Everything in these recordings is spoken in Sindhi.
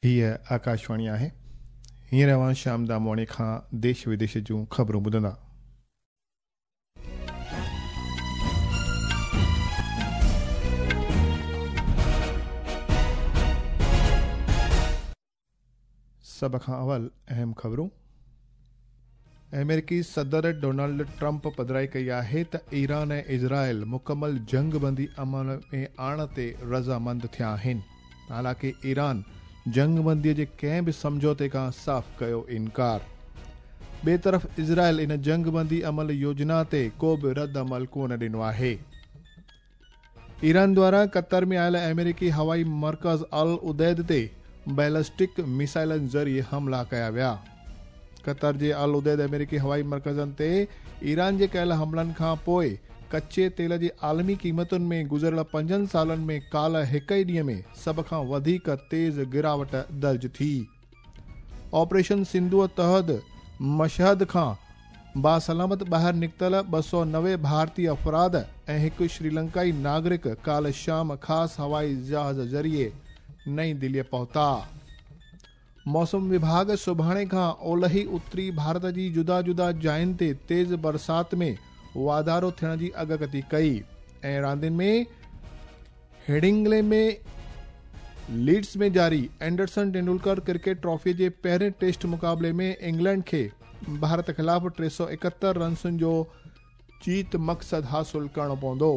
هيء آڪاشواڻي آهي. هينئر اوهان شيام دامواڻي کان ديش وديش جون خبرون ٻڌندا. سڀ کان اول اهم خبرون. آمريڪي صدر ڊونلڊ ٽرمپ پڌرائي ڪئي آهي ته ايران ۽ اسرائيل مڪمل جنگ بندي عمل ۾ آڻڻ تي رضامند ٿيا آهن. حالانڪه ايران جنگ بندي جي ڪنهن به سمجهوتي کان صاف ڪيو انڪار. ٻئي طرف اسرائيل ان جنگ بندي عمل يوجنا تي ڪو به رد عمل ڪونه ڏنو آهي. ايران دواران قطر ۾ آيل آمريڪي هوائي مرڪز العديد تي بيلسٽڪ ميسائلن ذريعي حملا ڪيا ويا. قطر جي العديد آمريڪي هوائي مرڪزن تي ايران جي ڪيل حملن کان پوء ڪچي تيل جي عالمي قيمتن ۾ گذريل پنجن سالن ۾ ڪالهه هڪ ئي ڏينهن ۾ سڀ کان وڌيڪ تيز گراوٽ درج ٿي. آپريشن سنڌوء تحت مشهد کان باسلامت ٻاهر نڪتل 290 ڀارتي افراد ۽ هڪ شريلنڪائي ناگرڪ ڪالهه شام خاص هوائي جهاز ذريعي نئين دهليء پهتا. موسم وڀاڳ سڀاڻي کان اولهي اتري ڀارت جي جدا جدا جاين تي تيز برسات ۾ واڌارو ٿيڻ جي اڳڪٿي ڪئي ۽ راندين ۾ هيڊنگلي ۾ ليڊز ۾ جاري اينڊرسن ٽينڊولڪر ڪرڪيٽ ٽرافي جي پهرين ٽيسٽ مقابلي ۾ انگلينڊ کي ڀارت خلاف 371 رنسن جو جيت مقصد حاصل ڪرڻو پوندو.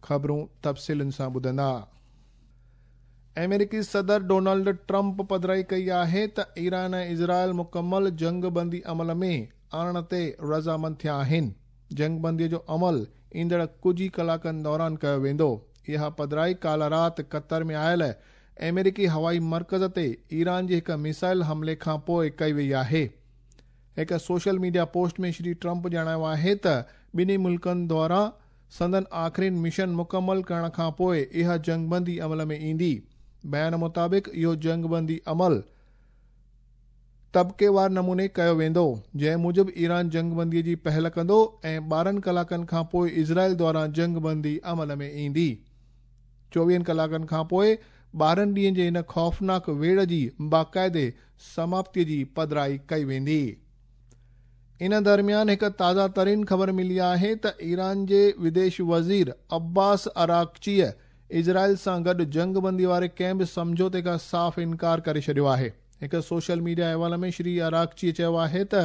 خبرون تفصيلن سان ٻڌندا. آمريڪي صدر ڊونلڊ ٽرمپ پڌرائي ڪئي آهي ته ايران ۽ اسرائيل مڪمل جنگ بندي عمل ۾ آڻڻ تي رضامند ٿيا آهن. جنگ بندي جو عمل ايندڙ ڪجهه ئي ڪلاڪن دوران ڪيو ويندو. اها پڌرائي ڪالهه رات قطر ۾ آيل آمريڪي هوائي مرڪز تي ايران جي هڪ ميسائل حملي کان پوء ڪئي وئي آهي. هڪ social media post ۾ Shri Trump ڄاڻايو آهي ته ٻنهي ملڪن دواران سندن آخرين مشن مڪمل ڪرڻ کان پوء اها جنگ بندي عمل ۾ ايندي. بيان مطابق اهو جنگ بندي عمل طبقيوار نموني ڪيو ويندو، جنهن موجب ايران جنگ بندي جي پهل ڪندو ۽ 12 ڪلاڪن کان پوء اسرائيل دواران جنگ بندي عمل ۾ ايندي. 24 ڪلاڪن کان پوء 12 ڏينهن جي هن خوفناڪ ويڙهه جي باقاعدي سماپتي جي پڌرائي ڪئي ويندي. ان درميان هڪ تازه ترين خبر ملي آهي ته ايران جي وديش وزير عباس عراقچيء اسرائيل سان گڏ جنگ بندي واري ڪنهن به سمجهوتي کان صاف انڪار ڪري ڇڏيو آهي. هڪ سوشل ميڊيا احوال ۾ شري عراقچيء چيو آهي ته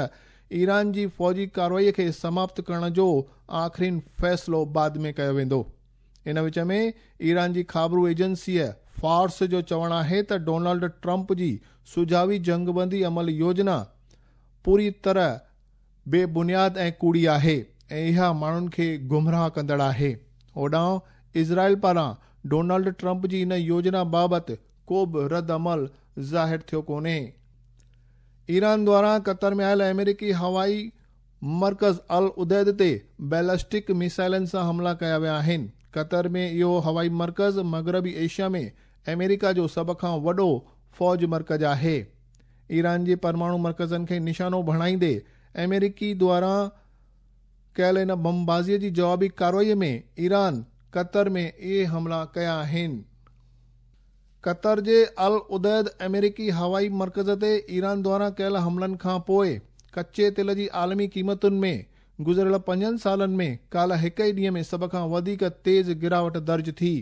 ايران جي فوجي ڪارروائي کي سماپت ڪرڻ جو آخرين فيصلو بعد ۾ ڪيو ويندو. ان وچ ۾ ايران جي خابرو ايجنسيء فارس جو چوڻ آهي ته ڊونلڊ ٽرمپ جي سجهاوي جنگبندي عمل يوجنا پوري طرح بي بنياد ۽ ڪوڙي آهي ۽ اها ماڻهن کي گمراهه ڪندڙ آهي. هوڏانهن اسرائيل پاران ڊونلڊ ٽرمپ جي ان يوجنا بابت ڪو به رد عمل ظاهر ٿيو ڪونهي. ايران دواران قطر ۾ آيل آمريڪي هوائي مرڪز العديد تي بيلسٽڪ ميسائلن سان حملا ڪيا ويا آهن. قطر ۾ اهو هوائي مرڪز مغربي ايشيا ۾ آمريڪا جو سڀ کان وڏو فوج مرڪز آهي. ايران جي پرماڻو مرڪزن کي نشانو بڻائيندي آمريڪي دواران ڪيل ان بمبازي جي جوابي ڪارروائي ۾ ايران قطر ۾ اهي حملا ڪيا آهن. قطر جي العديد آمريڪي هوائي مرڪز تي ايران دواران ڪيل حملن کان پوء ڪچي تيل جي عالمي قيمتن ۾ گذريل پنجن سالن ۾ ڪالهه هڪ ئي ڏينهن ۾ سڀ کان وڌيڪ تيز گراوٽ درج ٿي.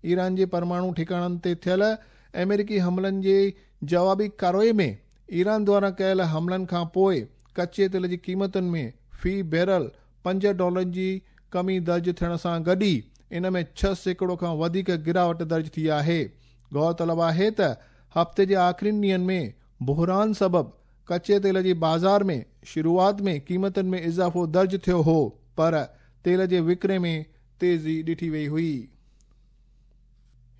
ايران جي پرماڻو ٺڪاڻن تي ٿيل آمريڪي حملن جي جوابي ڪارروائي ۾ ايران دواران ڪيل حملن کان پوء ڪچي تيل جي قيمتن ۾ في بيرل پنج ڊالرن جي ڪمي درج ٿيڻ سان گڏ ئي ان ۾ 6% کان وڌيڪ گراوٽ درج ٿي آهي. غور طلب آهي ته هفتي جي آخرين ڏينهن ۾ بحران سبب ڪچي تيل جي بازار ۾ شروعات ۾ قيمتن ۾ اضافو درج ٿيو هو پر تيل جي وڪري ۾ تيزي ڏٺي وئي هئي.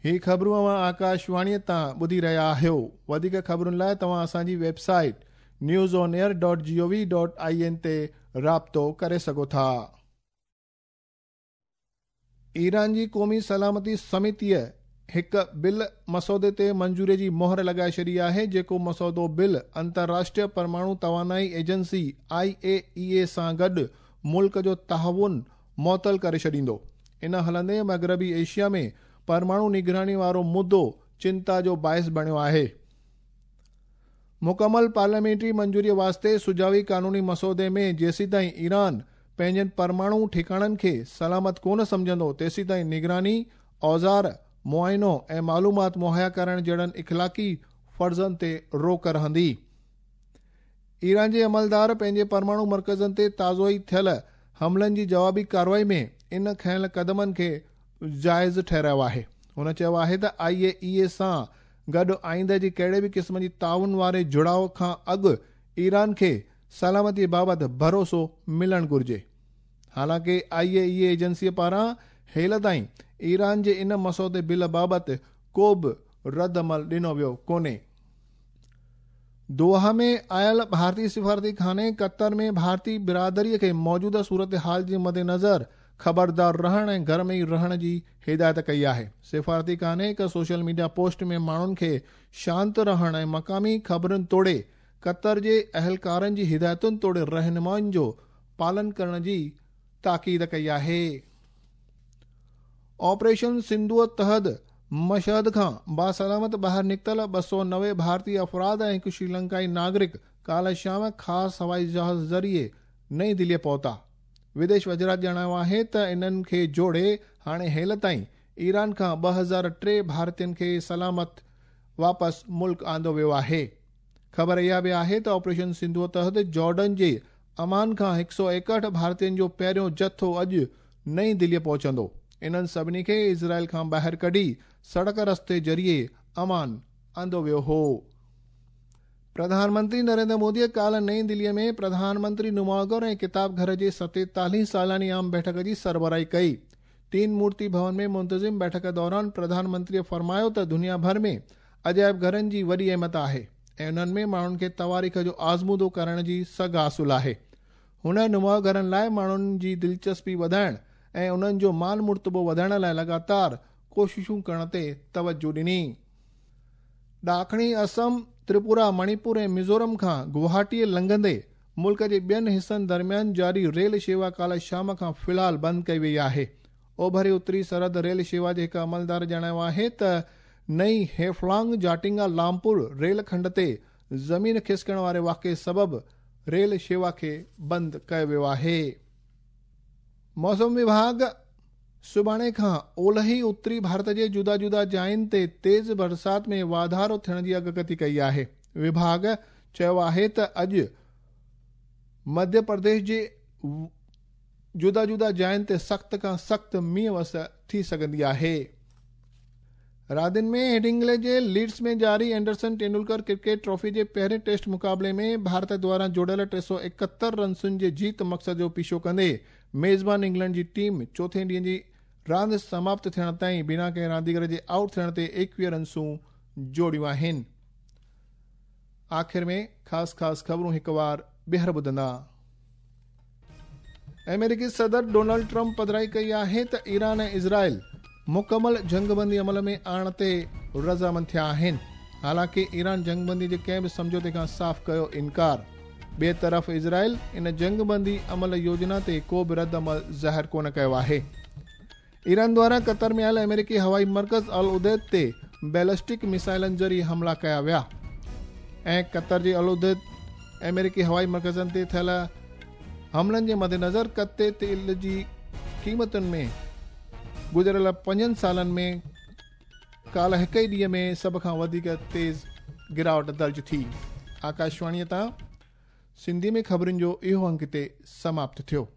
هي خبرون اوهان آڪاشواڻيء تان ٻڌي رهيا آهيو. وڌيڪ خبرن لاء توهان اسان جي website news on air dot G O V dot I N تي رابطو ڪري سگهو ٿا. ايران جي قومي سلامتي سميتيء هڪ بل مسودي تي منظوري جي مهر لڳائي ڇڏي آهي، جيڪو مسودو بل انترراشٽريه پرماڻو توانائي ايجنسي، آء اي اي اي، سان گڏ ملڪ جو تعاون معطل ڪري ڇڏيندو. ان هلندي مغربي ايشيا ۾ پرماڻو نگراني وارو مدو چنتا جو باعث بڻيو آهي. مڪمل پارليامينٽري منظوريء واسطي سجاوي قانوني مسودي ۾ جيسيتائين ايران پنهنجن پرماڻو ٺڪاڻن کي سلامت ڪونه سمجهندو، تيسيتائين نگراني، اوزار، معائنو ۽ معلومات مهيا ڪرڻ جهڙن اخلاقي فرضن تي روڪ رهندي. ايران جي عملدار پنهنجي پرماڻو مرڪزن تي تازو ئي ٿيل حملن جي جوابي ڪارروائي ۾ ان کنيل قدمن کي جائز ٺهرايو آهي. هن چيو آهي ته آء اي اي اي سان گڏ آئنده جي ڪهڙي به قسم جي تعاون واري جڙاء کان اڳ ايران کي سلامتي بابت ڀروسو ملڻ گهرجي. حالانڪه آء اي اي اي ايجنسي پاران هيل تائين ايران جي ان مسودي بل بابت ڪو به رد عمل ڏنو ويو ڪونهي. دوحه ۾ آيل ڀارتي سفارتي خاني قطر ۾ ڀارتي برادري کي موجوده صورتحال جي مدنظر خبردار رهڻ ۽ گهر ۾ ئي رهڻ جي هدايت ڪئي آهي. سفارتي خاني هڪ سوشل ميڊيا پوسٽ ۾ ماڻهن کي شانت رهڻ ۽ مقامي خبرن توڙي قطر جي اهلڪارن جي هدايتن توڙي رهنمائين جو پالن ڪرڻ جي تاڪيد ڪئي آهي. آپريشن سنڌوء تحت مشهد کان باسلامت ٻاهر نڪتل 290 ڀارتي افراد ۽ هڪ شريلنڪائي ناگرڪ ڪالهه شام خاص هوائي جهاز ذريعي نئين دهليء پهتا. وديش وزارت ڄاڻايو آهي ته انهن کي جوڙي هاڻي هيل تائين ايران کان 2003 ڀارتين کي سلامت واپس ملڪ آندو ويو آهي. خبر اها به آهي ته آپريشن سنڌوء تحت جارڊن جي عمان کان 161 ڀارتين جو پهريون جٿو اڄ نئين دهليء پهچندو. انهن سڀني کي اسرائيل کان ٻاهر ڪڍي سڙڪ رستي ذريعي عمان آندو ويو هو. پرڌان منتري نريندر موديء ڪالهه نئين دهليء ۾ پرڌان منتري نماء گهر ۽ ڪتاب گهر جي 47 سالياني عام بيٺڪ جي سربراهي ڪئي. تين مورتي ڀون ۾ منتظم بيٺڪ دوران پرڌان منتريء فرمايو ته دنيا ڀر ۾ عجائب گهرن جي وڏي اهميت آهي ۽ انهن ۾ ماڻهن کي تواريخ جو آزمودو ڪرڻ جي سگهه حاصل آهي. هن نماء گهرن لاء ماڻهن جي دلچسپي وڌائڻ ۽ انهن جو مان مرتبو وڌائڻ لاء لڳاتار ڪوششون ڪرڻ تي توجهه ڏني. ڏاکڻي اسم، تريپورا، مڻيپور ۽ ميزورم کان گوهاٽيء لنگهندي ملڪ جي ٻين حصن درميان جاري ريل شيوا ڪالهه شام کان في الحال بند ڪئي وئي آهي. اوڀري اتري سرحد ريل شيوا جي هڪ عملدار ڄاڻايو آهي ته نئين هيفلانگ جاٽنگا لامپور ريل کنڊ تي زمين کسڪڻ واري واقعي سبب ريل شيوا کي بند ڪيو ويو آهي. موسم وڀاڳ سڀاڻي کان اولهي اتري ڀارت جي جدا جدا جاين تي تيز برسات ۾ واڌارو ٿيڻ جي اڳڪٿي ڪئي آهي. وڀاڳ چيو آهي ته اڄ مڌيه پرديش جي جدا جدا جاين تي سخت کان سخت مينهن وس ٿي سگهندي آهي. راندين ۾ هيڊنگلي جي ليڊز ۾ جاري اينڊرسن ٽينڊولڪر ڪرڪيٽ ٽرافي جي پهرين ٽيسٽ مقابلي ۾ ڀارت دواران جوڙيل 371 رنسن جي جيت مقصد جو پيڇو ڪندي ميزبان انگلينڊ جي ٽيم چوٿين ڏينهن جي راند سماپت ٿيڻ تائين بنا ڪنهن رانديگر جي آئوٽ ٿيڻ تي 21 رنسون جوڙيون آهن. آخر ۾ خاص خاص خبرون هڪ وار ٻيهر ٻڌندا. آمريڪي صدر ڊونلڊ ٽرمپ پڌرائي ڪئي آهي ته ايران ۽ اسرائيل مڪمل جنگبندي عمل ۾ آڻڻ تي رضامند ٿيا آهن. حالانڪه ايران جنگبندي جي ڪنهن به سمجهوتي کان صاف ڪيو انڪار. ٻئي طرف اسرائيل ان جنگبندي عمل يوجنا تي ڪو به رد عمل ظاهر ڪونه ڪيو آهي. ايران دواران قطر ۾ آيل آمريڪي هوائي مرڪز العديد تي بيلسٽڪ ميسائلن ذريعي حملا ڪيا ويا ۽ قطر جي العديد آمريڪي هوائي مرڪزن تي ٿيل حملن جي مدنظر ڪتي تيل جي قيمتن ۾ گذريل 5 سالن ۾ ڪالهه هڪ ئي ڏينهن ۾ سڀ کان وڌيڪ تيز گراوٽ درج ٿي. آڪاشواڻيء تان سنڌي ۾ خبرن جو اهو انگ هتي سماپت ٿيو.